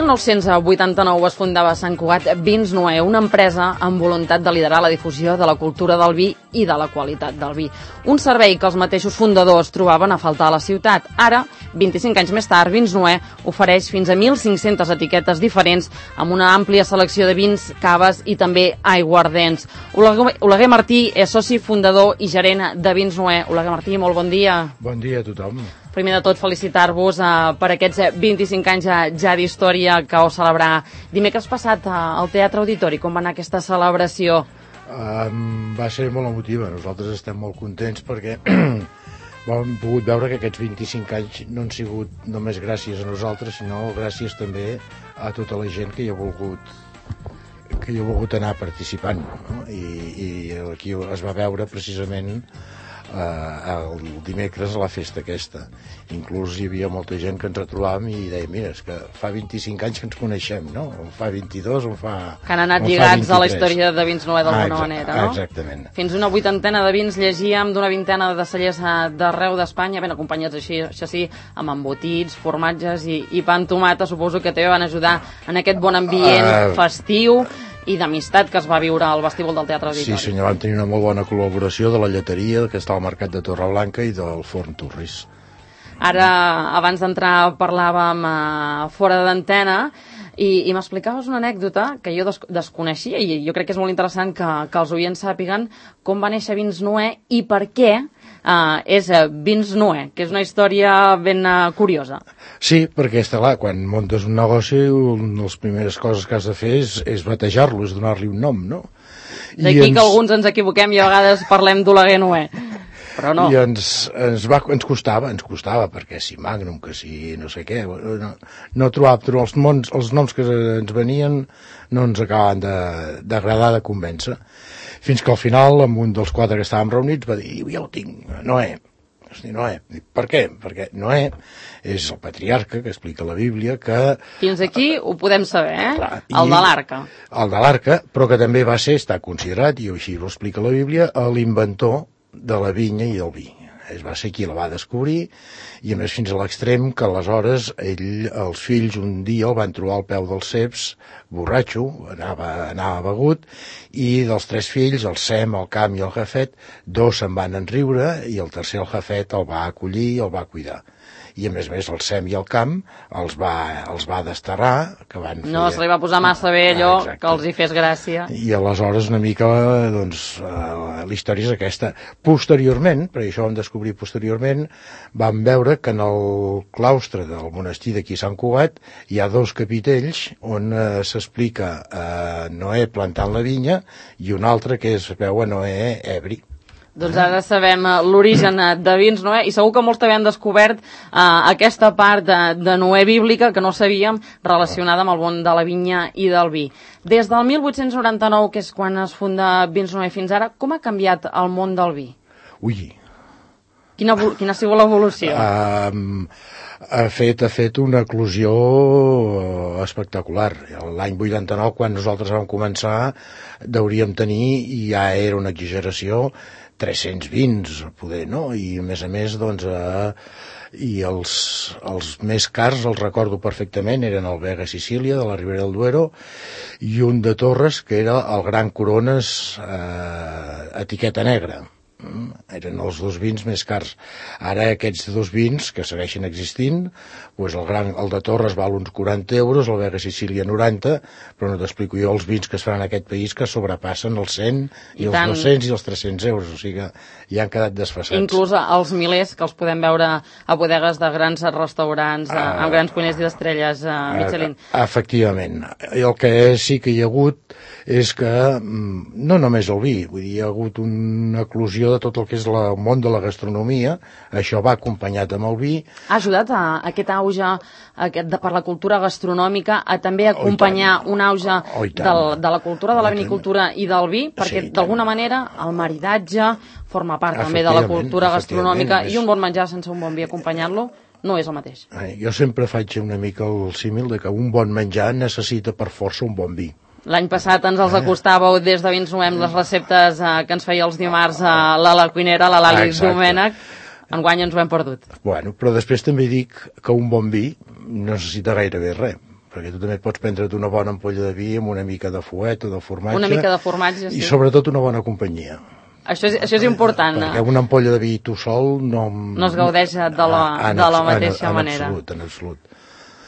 1989 es fundava a Sant Cugat Vins Noè, una empresa amb voluntat de liderar la difusió de la cultura del vi i de la qualitat del vi. Un servei que els mateixos fundadors trobaven a faltar a la ciutat. Ara, 25 anys més tard, Vins Noè ofereix fins a 1.500 etiquetes diferents amb una àmplia selecció de vins, caves i també aiguardents. Oleguer Martí és soci fundador i gerent de Vins Noè. Oleguer Martí, molt bon dia. Bon dia a tothom. Primer de tot, felicitar-vos per aquests 25 anys ja d'història que heu celebrar. Dimecres passat al Teatre Auditori, com va anar aquesta celebració? Va ser molt emotiva. Nosaltres estem molt contents perquè hem pogut veure que aquests 25 anys no han sigut només gràcies a nosaltres, sinó gràcies també a tota la gent que hi ha volgut anar participant, no? I aquí es va veure precisament el dimecres a la festa aquesta. Inclús hi havia molta gent que ens retrobàvem i deia, mira, és que fa 25 anys que ens coneixem, no? O fa 22, o fa... Que han anat lligats a la història de Vins Noè d'alguna manera, no? Exactament. Fins una 80ena de vins llegíem d'una 20ena de cellers d'arreu d'Espanya, ben acompanyats això sí, amb embotits, formatges i pa amb tomata. Suposo que també van ajudar en aquest bon ambient festiu i d'amistat que es va viure al vestíbul del Teatre Auditori. Sí, senyor, vam tenir una molt bona col·laboració de la lleteria que està al Mercat de Torreblanca i del Forn Torris. Ara, abans d'entrar, parlàvem fora d'antena i m'explicaves una anècdota que jo desconeixia i jo crec que és molt interessant que els oients sàpiguen com va néixer Vins Noè i per què és Vins Noè, que és una història ben curiosa. Sí, perquè està clar, quan muntes un negoci, una de les primeres coses que has de fer és batejar-lo, és donar-li un nom, no? D'aquí que alguns ens equivoquem i a vegades parlem d'Oleguer Noè. Però no. I ens costava, perquè si Magnum, que si no sé què, no trobava els noms que ens venien no ens acabaven d'agradar, de convèncer. Fins que al final, amb un dels 4 que estàvem reunits, va dir, ja ho tinc, Noè. Noè. Per què? Perquè Noè és el patriarca que explica la Bíblia que... Fins aquí ho podem saber, Clar, el de l'arca. El de l'arca, però que també està considerat, i així ho explica la Bíblia, l'inventor de la vinya i del vi. Va ser qui la va descobrir i a més fins a l'extrem que aleshores els fills un dia el van trobar al peu dels ceps, borratxo, anava begut, i dels 3 fills, el Sem, el Cam i el Jafet, 2 se'n van enriure i el tercer, el Jafet, el va acollir i el va cuidar. I a més el Sem i el Cam els va desterrar, que van fer... No se li va posar massa bé allò, que els hi fes gràcia. I aleshores una mica, doncs, la història és aquesta. Posteriorment, perquè això ho vam descobrir posteriorment, vam veure que en el claustre del monestir d'aquí Sant Cugat hi ha 2 capitells on s'explica Noè plantant la vinya i un altre que es veu a Noè ebri. Doncs ara sabem l'origen de Vins Noè i segur que molts també han descobert aquesta part de Noè bíblica que no sabíem relacionada amb el món de la vinya i del vi. Des del 1899, que és quan es funda Vins Noè fins ara, com ha canviat el món del vi? Ui! Quina ha sigut l'evolució? Ha fet una eclosió espectacular. L'any 89, quan nosaltres vam començar, hauríem tenir, i ja era una exageració, 300 vins, poder, no? I a més, doncs, i els més cars, els recordo perfectament, eren el Vega Sicília, de la Ribera del Duero, i un de Torres, que era el Gran Corones etiqueta negra. Eren els 2 vins més cars. Ara aquests 2 vins que segueixen existint, doncs el de Torres val uns 40 euros, el Vega Sicília 90, però no t'explico jo els vins que es fan en aquest país que sobrepassen els 100 i els 200 i els 300 euros, o sigui que ja han quedat desfasats. Inclús els milers que els podem veure a bodegues de grans restaurants amb grans cuiners i d'estrelles Michelin. Efectivament. El que sí que hi ha hagut és que no només el vi, vull dir, hi ha hagut una eclosió de tot el que és el món de la gastronomia, això va acompanyat amb el vi. Ha ajudat a aquest auge per la cultura gastronòmica a també acompanyar un auge de la cultura de la vinicultura i del vi, perquè d'alguna manera el maridatge forma part també de la cultura gastronòmica i un bon menjar sense un bon vi acompanyant-lo no és el mateix. Jo sempre faig una mica el símil de que un bon menjar necessita per força un bon vi. L'any passat ens els acostàveu des de Vins Noè les receptes que ens feia els dimarts la cuinera, la Lali Domènech. Enguany ens ho hem perdut. Bueno, però després també dic que un bon vi no necessita gairebé res. perquè tu també pots prendre't una bona ampolla de vi amb una mica de fuet o de formatge. Una mica de formatge, sí. I sobretot una bona companyia. Això és important. Perquè una ampolla de vi tu sol no es gaudeix de la mateixa manera. En absolut.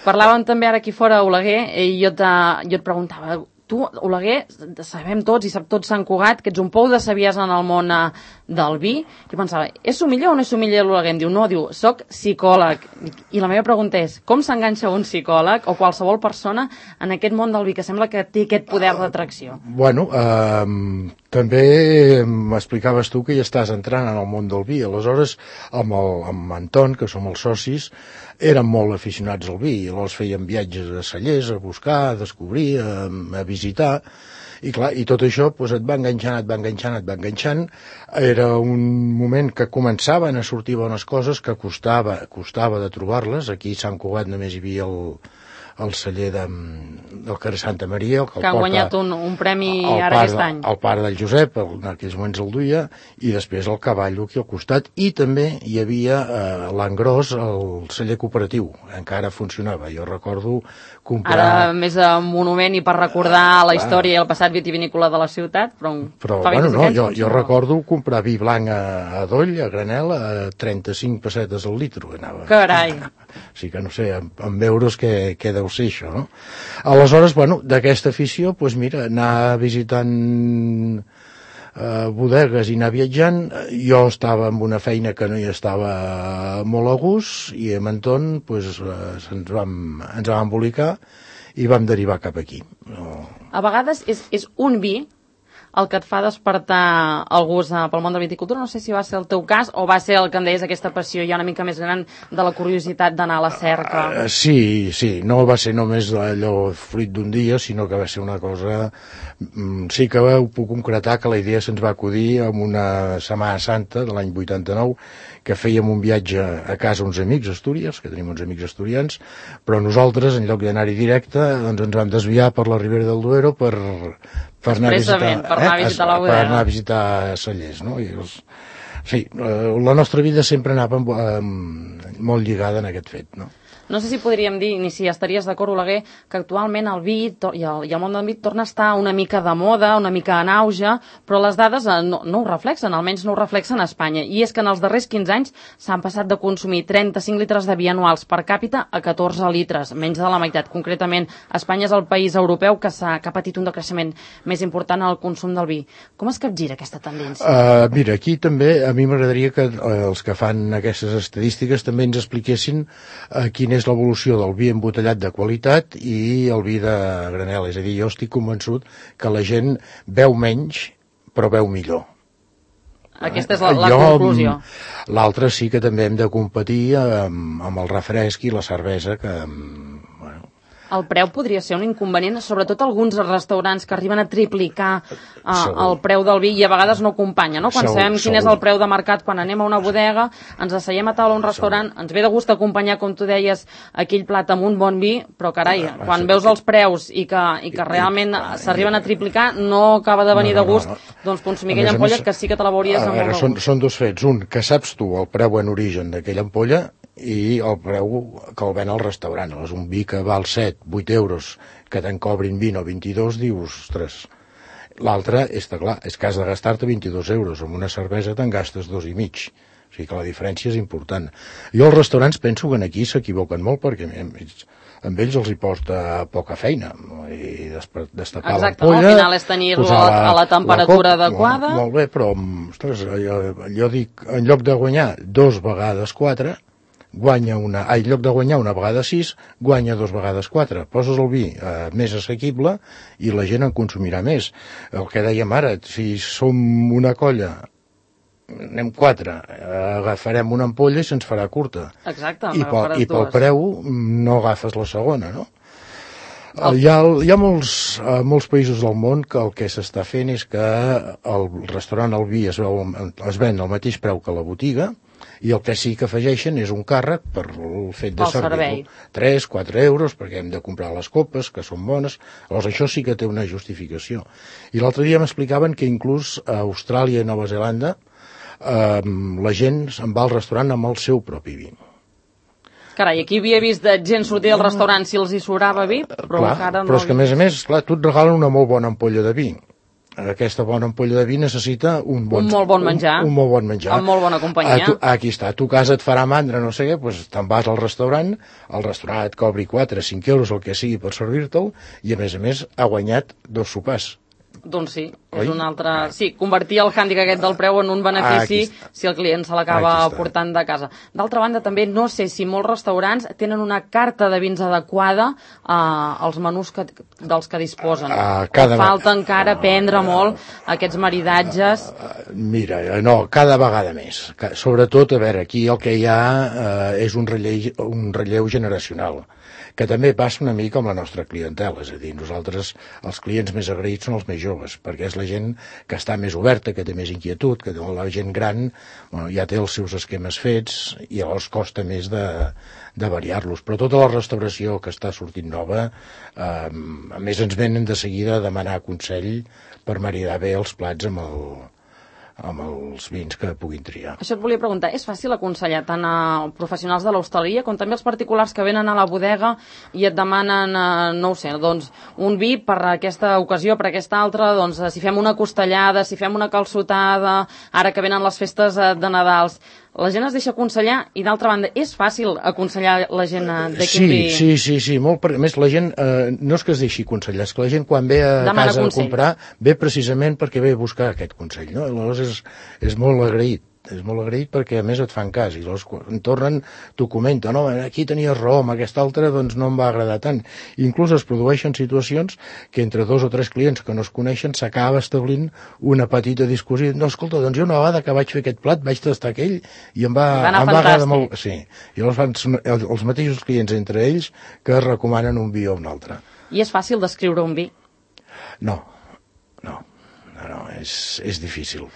Parlàvem també ara aquí fora, Oleguer, i jo et preguntava, tu, Oleguer, sabem tots i sap tot Sant Cugat que ets un pou de saviesa en el món del vi. I pensava, és somiller o no és somiller l'Oleguer? Em diu, no, soc psicòleg. I la meva pregunta és, com s'enganxa un psicòleg o qualsevol persona en aquest món del vi que sembla que té aquest poder d'atracció? Bueno, també m'explicaves tu que ja estàs entrant en el món del vi. Aleshores, amb Anton, que som els socis, eren molt aficionats al vi, i llavors feien viatges a cellers, a buscar, a descobrir, a visitar, i clar, i tot això doncs, et va enganxant. Era un moment que començaven a sortir bones coses, que costava de trobar-les. Aquí a Sant Cugat només hi havia el celler del carrer Santa Maria, que han guanyat un premi ara aquest any. El pare del Josep, en aquells moments el duia, i després el Cavallo aquí al costat, i també hi havia l'Engròs, el celler cooperatiu, encara funcionava. Jo recordo comprar... Ara més a monument i per recordar la història i el passat vitivinícola de la ciutat, però fa 25 anys. Jo recordo comprar vi blanc a Doll, a granel, a 35 pessetes al litro. Carai! Sí que no sé, amb euros què deu ser això, no? Aleshores, bueno, d'aquesta afició, doncs mira, anar visitant bodegues i anar viatjant. Jo estava amb una feina que no hi estava molt a gust, i amb Anton doncs, ens vam embolicar i vam derivar cap aquí. A vegades és un vi el que et fa despertar el gust pel món de la viticultura. No sé si va ser el teu cas o va ser el que em deies, aquesta passió ja una mica més gran de la curiositat d'anar a la cerca. Sí, no va ser només allò fruit d'un dia, sinó que va ser una cosa... Sí que ho puc concretar que la idea se'ns va acudir en una Setmana Santa de l'any 89, que fèiem un viatge a casa uns amics astúries, que tenim uns amics asturians, però nosaltres, en lloc d'anar-hi directe, doncs ens vam desviar per la Ribera del Duero per anar a visitar cellers, no? Sí, la nostra vida sempre anava molt lligada en aquest fet, no? No sé si podríem dir, ni si estaries d'acord, Oleguer, que actualment el vi i el món del vi torna a estar una mica de moda, una mica en auge, però les dades no ho reflexen, almenys no ho reflexen a Espanya. I és que en els darrers 15 anys s'han passat de consumir 35 litres de vi anuals per càpita a 14 litres, menys de la meitat. Concretament, Espanya és el país europeu que ha patit un decreixement més important en el consum del vi. Com es capgira aquesta tendència? Mira, aquí també a mi m'agradaria que els que fan aquestes estadístiques també ens expliquessin quina és l'evolució del vi embotellat de qualitat i el vi de granel. És a dir, jo estic convençut que la gent beu menys, però beu millor. Aquesta és la conclusió. L'altre sí que també hem de competir amb el refresc i la cervesa, que... El preu podria ser un inconvenient, sobretot alguns restaurants que arriben a triplicar el preu del vi i a vegades no acompanya, no? Quan sabem quin és el preu de mercat, quan anem a una bodega, ens asseiem a taula a un restaurant, ens ve de gust acompanyar, com tu deies, aquell plat amb un bon vi, però carai, quan veus els preus i que realment s'arriben a triplicar, no acaba de venir de gust doncs consumir aquella ampolla que sí que te la veuries amb molt de gust. Són dos fets. Un, que saps tu el preu en origen d'aquella ampolla i el preu que el ven al restaurant. És un vi que val 7, 8 euros, que te'n cobrin 20 o 22, dius, ostres. L'altre, clar, és que has de gastar-te 22 euros, amb una cervesa te'n gastes 2,5. O sigui que la diferència és important. Jo als restaurants penso que aquí s'equivoquen molt, perquè amb ells els hi porta poca feina, i destapar l'ampolla... Al final és tenir-lo a la temperatura adequada. Molt bé, però, ostres, jo dic, en lloc de guanyar 2 vegades 4, en lloc de guanyar una vegada 6, guanya 2 vegades 4. Poses el vi més assequible i la gent en consumirà més. El que dèiem ara, si som una colla, anem 4, agafarem una ampolla i se'ns farà curta. Exacte, i pel preu no agafes la segona, no? Hi ha molts països del món que el que s'està fent és que el restaurant, el vi es ven al mateix preu que la botiga, i el que sí que afegeixen és un càrrec per el fet de servir-lo. 3-4 euros, perquè hem de comprar les copes, que són bones. Llavors això sí que té una justificació. I l'altre dia m'explicaven que inclús a Austràlia i Nova Zelanda la gent se'n va al restaurant amb el seu propi vi. Carai, aquí havia vist gent sortir del restaurant si els hi sobrava vi, però clar, encara no... Però és que, a més, clar, tu et regalen una molt bona ampolla de vi. Aquesta bona ampolla de vi necessita un molt bon menjar. Un molt bon menjar. Amb molt bona companyia. Aquí està, a tu casa et farà mandra, no sé què, doncs te'n vas al restaurant et cobri 4 o 5 euros, el que sigui, per servir-te'l, i a més ha guanyat 2 sopars. Doncs sí, és un altre... Sí, convertir el hàndicap aquest del preu en un benefici si el client se l'acaba portant de casa. D'altra banda, també no sé si molts restaurants tenen una carta de vins adequada als menús dels que disposen. Falta encara aprendre molt aquests maridatges. Mira, no, cada vegada més. Sobretot, a veure, aquí el que hi ha és un relleu generacional, que també passa una mica amb la nostra clientela, és a dir, nosaltres els clients més agraïts són els més joves, perquè és la gent que està més oberta, que té més inquietud, que la gent gran ja té els seus esquemes fets i llavors costa més de variar-los. Però tota la restauració que està sortint nova, a més ens venen de seguida a demanar consell per maridar bé els plats amb els vins que puguin triar. Això et volia preguntar, és fàcil aconsellar tant a professionals de l'hostaleria com també als particulars que venen a la bodega i et demanen, no ho sé, doncs, un vi per aquesta ocasió, per aquesta altra, doncs, si fem una costellada, si fem una calçotada, ara que venen les festes de Nadals... La gent es deixa aconsellar i, d'altra banda, és fàcil aconsellar la gent de quin vi... Sí, molt. A més, la gent no és que es deixi aconsellar, és que la gent quan ve a casa a comprar ve precisament perquè ve a buscar aquest consell, no? Llavors és molt agraït. És molt agraït perquè a més et fan cas i llavors quan tornen t'ho comenten, no, aquí tenies raó, amb aquesta altra doncs no em va agradar tant. Inclús es produeixen situacions que entre 2 o 3 clients que no es coneixen s'acaba establint una petita discussió, no, escolta, doncs jo una vegada que vaig fer aquest plat vaig tastar aquell i em va agradar molt. Sí. I llavors fan els mateixos clients entre ells que recomanen un vi o un altre. I és fàcil descriure un vi? No, és difícil.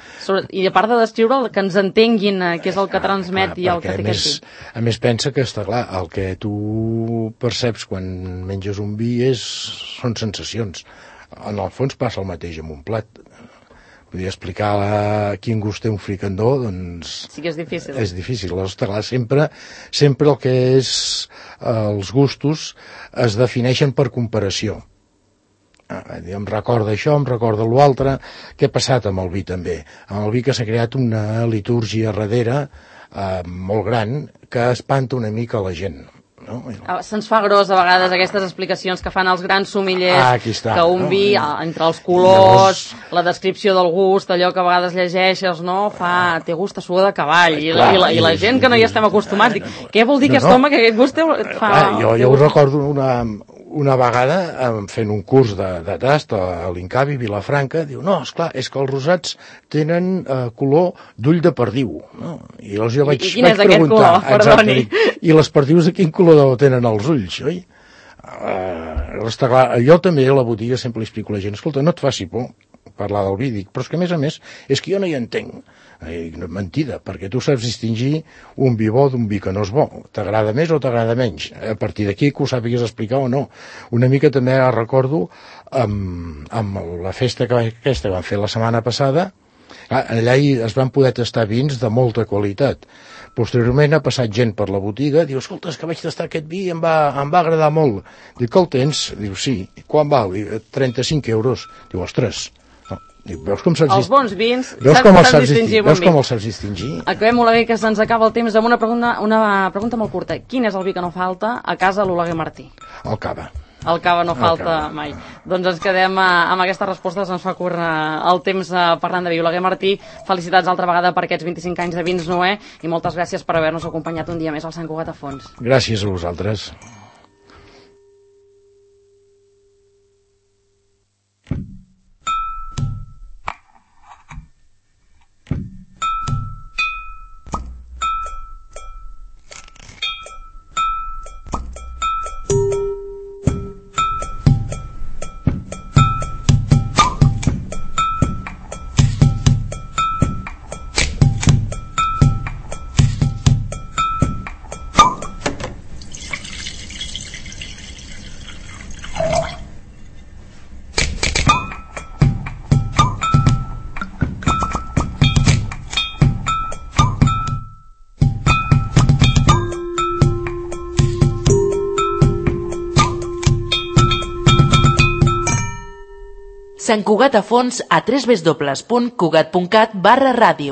I a part de descriure, que ens entenguin què és el que transmet i el que té aquest vi. A més, pensa que està clar, el que tu perceps quan menges un vi són sensacions. En el fons passa el mateix amb un plat. Podria explicar quin gust té un fricandó, doncs... Sí que és difícil. És difícil. Està clar, sempre el que és els gustos es defineixen per comparació. Em recorda això, em recorda l'altre. Què ha passat amb el vi també? Amb el vi que s'ha creat una litúrgia darrere molt gran que espanta una mica la gent. No? Se'ns fa gros a vegades aquestes explicacions que fan els grans sommeliers, que un vi, entre els colors, la descripció del gust, allò que a vegades llegeixes, no? Té gust a suor de cavall, i la gent que no hi estem acostumats dic, què vol dir aquest home que aquest gust fa... Jo ho recordo una vegada fent un curs de tast a l'Incavi, Vilafranca, diu, no, esclar, és que els rosats tenen color d'ull de perdiu. No? I llavors jo vaig preguntar, perdoni. I les perdius de quin color tenen els ulls, oi? Està clar, jo també a la botiga sempre li explico a la gent, escolta, no et faci por parlar del vi, dic, però és que a més és que jo no hi entenc. Mentida, perquè tu saps distingir un vi bo d'un vi que no és bo. T'agrada més o t'agrada menys. A partir d'aquí que ho sàpigues explicar o no. Una mica també recordo amb la festa aquesta que van fer la setmana passada, allà es van poder tastar vins de molta qualitat. Posteriorment ha passat gent per la botiga, diu, escolta, és que vaig tastar aquest vi i em va agradar molt. Dic, el tens? Diu, sí. Quan val? Diu, 35 euros. Diu, ostres, veus com els bons vins saps distingir bon vi. Veus com els saps distingir? Acabem, Oleguer, que se'ns acaba el temps amb una pregunta molt curta. Quin és el vi que no falta a casa l'Oleguer Martí? El cava. El cava no falta mai. Doncs ens quedem amb aquesta resposta, se'ns fa curt el temps parlant de vi. Oleguer Martí, felicitats altra vegada per aquests 25 anys de Vins Noè i moltes gràcies per haver-nos acompanyat un dia més al Sant Cugat a Fons. Gràcies a vosaltres. Sant Cugat a fons a www.cugat.cat/ràdio.